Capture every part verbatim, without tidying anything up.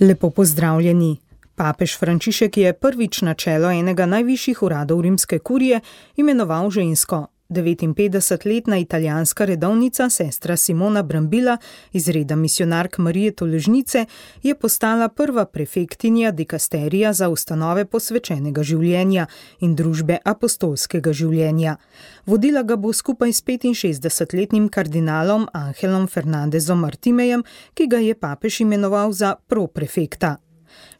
Lepo pozdravljeni. Papež Frančišek je prvič na čelo enega najvišjih uradov rimske kurije imenoval žensko. devetinpetdesetletna italijanska redovnica, sestra Simona Brambilla iz reda misijonark Marije Tolažnice, je postala prva prefektinja dikasterija za ustanove posvečenega življenja in družbe apostolskega življenja. Vodila ga bo skupaj s petinšestdesetletnim kardinalom Angelom Fernandezom Artimejem, ki ga je papež imenoval za proprefekta.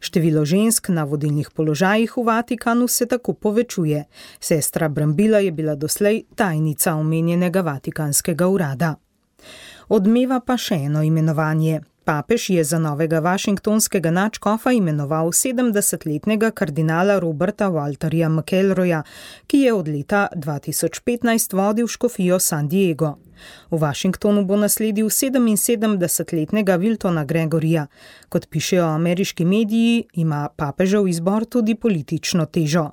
Število žensk na vodilnih položajih v Vatikanu se tako povečuje. Sestra Brambilla je bila doslej tajnica omenjenega vatikanskega urada. Odmeva pa še eno imenovanje. Papež je za novega vašingtonskega nadškofa imenoval sedemdesetletnega kardinala Roberta Walterja McElroya, ki je od leta dva tisoč petnajst vodil škofijo San Diego. V Washingtonu bo nasledil sedeminsedemdesetletnega Wiltona Gregorija. Kot pišejo ameriški mediji, ima papežev izbor tudi politično težo.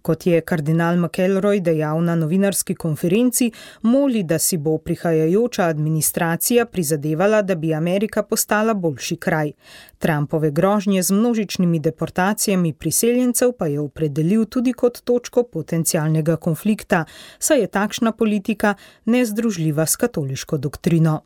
Kot je kardinal McElroy dejal na novinarski konferenci, moli, da si bo prihajajoča administracija prizadevala, da bi Amerika postala boljši kraj. Trumpove grožnje z množičnimi deportacijami priseljencev pa je opredelil tudi kot točko potencialnega konflikta, saj je takšna politika nezdružljiva s katoliško doktrino.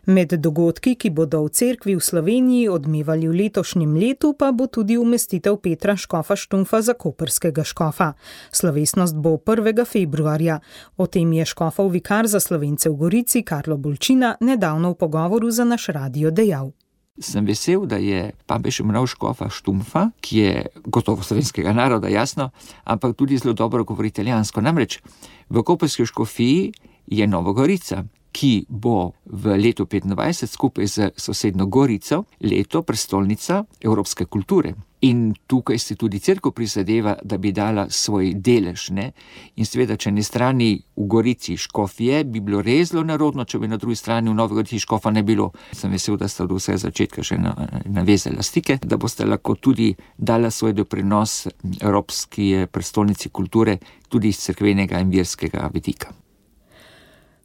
Med dogodki, ki bodo v cerkvi v Sloveniji odmevali v letošnjem letu, pa bo tudi umestitev Petra Škofa Štumpfa za koprskega škofa. Slovesnost bo prvega februarja. O tem je škofov vikar za Slovence v Gorici, Karlo Bolčina, nedavno v pogovoru za naš radio dejal. Sem vesel, da je papež imenoval Škofa Štumpfa, ki je gotovo slovenskega naroda, jasno, ampak tudi zelo dobro govori italijansko. Namreč v koprski škofiji je Nova Gorica, ki bo v letu petindvajset skupaj z sosednjo Gorico leto prestolnica evropske kulture. In tukaj se tudi cerkev prizadeva, da bi dala svoj delež, ne? In seveda, če na strani v Gorici škofje, bi bilo res zelo narodno, če bi na drugi strani v Novi Gorici škofa ne bilo. Sem vesel, da sta do vsega začetka še navezala stike, da boste lahko tudi dala svoj doprinos evropski prestolnici kulture, tudi iz cerkvenega in verskega vidika.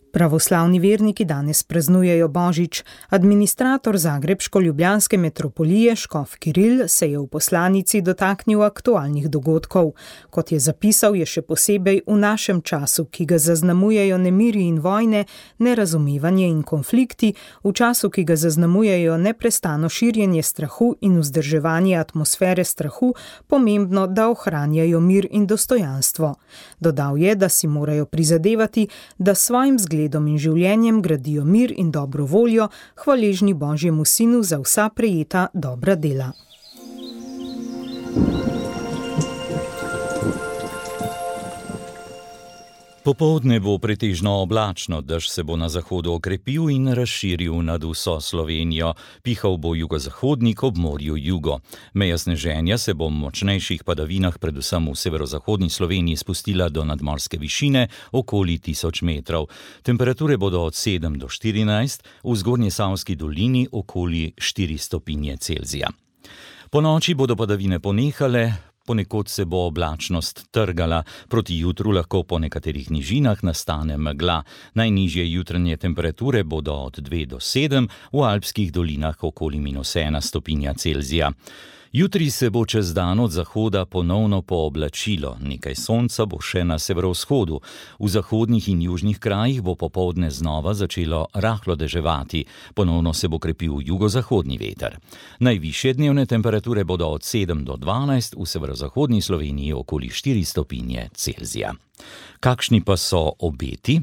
Pravoslavni verniki danes praznujejo Božič. Administrator zagrebško-ljubljanske metropolije škof Kiril se je v poslanici dotaknil aktualnih dogodkov. Kot je zapisal, je še posebej v našem času, ki ga zaznamujejo nemiri in vojne, nerazumevanje in konflikti, v času, ki ga zaznamujejo neprestano širjenje strahu in vzdrževanje atmosfere strahu, pomembno, da ohranjajo mir in dostojanstvo. Dodal je, da si morajo prizadevati, da svojim zgledom in življenjem gradijo mir in dobro voljo, hvaležni Božjemu Sinu za vsa prejeta dobra dela. Popoldne bo pretežno oblačno, dež se bo na zahodu okrepil in razširil nad vso Slovenijo. Pihal bo jugozahodnik ob morju jugo. Meja sneženja se bo v močnejših padavinah, predvsem v severozahodni Sloveniji, spustila do nadmorske višine okoli tisoč metrov. Temperature bodo od sedem do štirinajst, v Zgornjesavski dolini okoli štiri stopinje Celzija. Po noči bodo padavine ponehale, ponekod se bo oblačnost trgala, proti jutru lahko po nekaterih nižinah nastane megla. Najnižje jutranje temperature bodo od dve do sedem, v alpskih dolinah okoli minus ena stopinja Celzija. Jutri se bo čez dan od zahoda ponovno pooblačilo, nekaj sonca bo še na severovzhodu. V zahodnih in južnih krajih bo popoldne znova začelo rahlo deževati, ponovno se bo krepil jugozahodni veter. Najvišje dnevne temperature bodo od sedem do dvanajst, v severozahodni Sloveniji okoli štiri stopinje Celzija. Kakšni pa so obeti?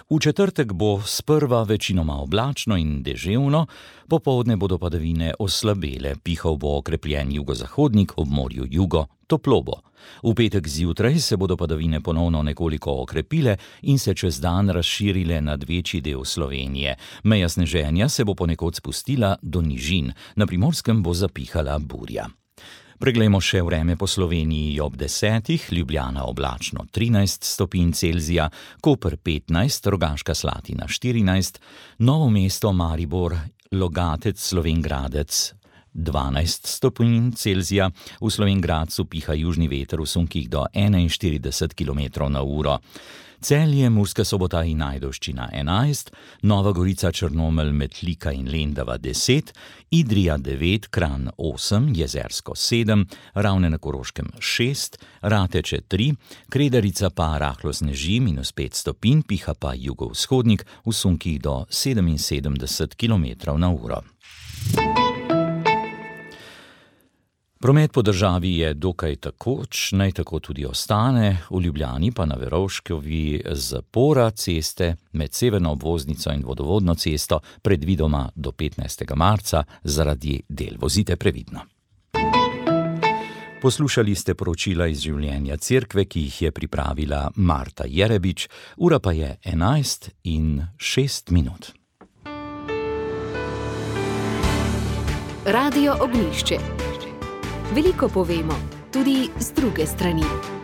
V četrtek bo sprva večinoma oblačno in deževno, popoldne bodo padavine oslabele, pihal bo okrepljen jugozahodnik, ob morju jugo toplo bo. V petek zjutraj se bodo padavine ponovno nekoliko okrepile in se čez dan razširile nad večji del Slovenije. Meja sneženja se bo ponekod spustila do nižin, na Primorskem bo zapihala burja. Preglejmo še vreme po Sloveniji ob desetih, Ljubljana oblačno trinajst stopinj Celzija, Koper petnajst, Rogaška Slatina štirinajst, Novo mesto, Maribor, Logatec, Slovenj Gradec dvanajst stopinj Celzija, v Slovenj Gradcu piha južni veter v sunkih do enainštirideset kilometrov na uro. Celje, Murska Sobota in Ajdovščina enajst, Nova Gorica, Črnomelj, Metlika in Lendava deset, Idrija devet, Kranj osem, Jezersko sedem, Ravne na Koroškem šest, Rateče tri, Kredarica pa rahlo sneži, minus pet stopinj, piha pa jugovzhodnik v sunkih do sedeminsedemdeset kilometrov na uro. Promet po državi je dokaj takoč, naj tako tudi ostane, v Ljubljani pa na Verovškovi zapora ceste med severno obvoznico in vodovodno cesto predvidoma do petnajstega marca zaradi del. Vozite previdno. Poslušali ste poročila iz življenja cerkve, ki jih je pripravila Marta Jerebič, ura pa je enajst in šest minut. Radio Ognjišče. Veliko povemo, tudi z druge strani.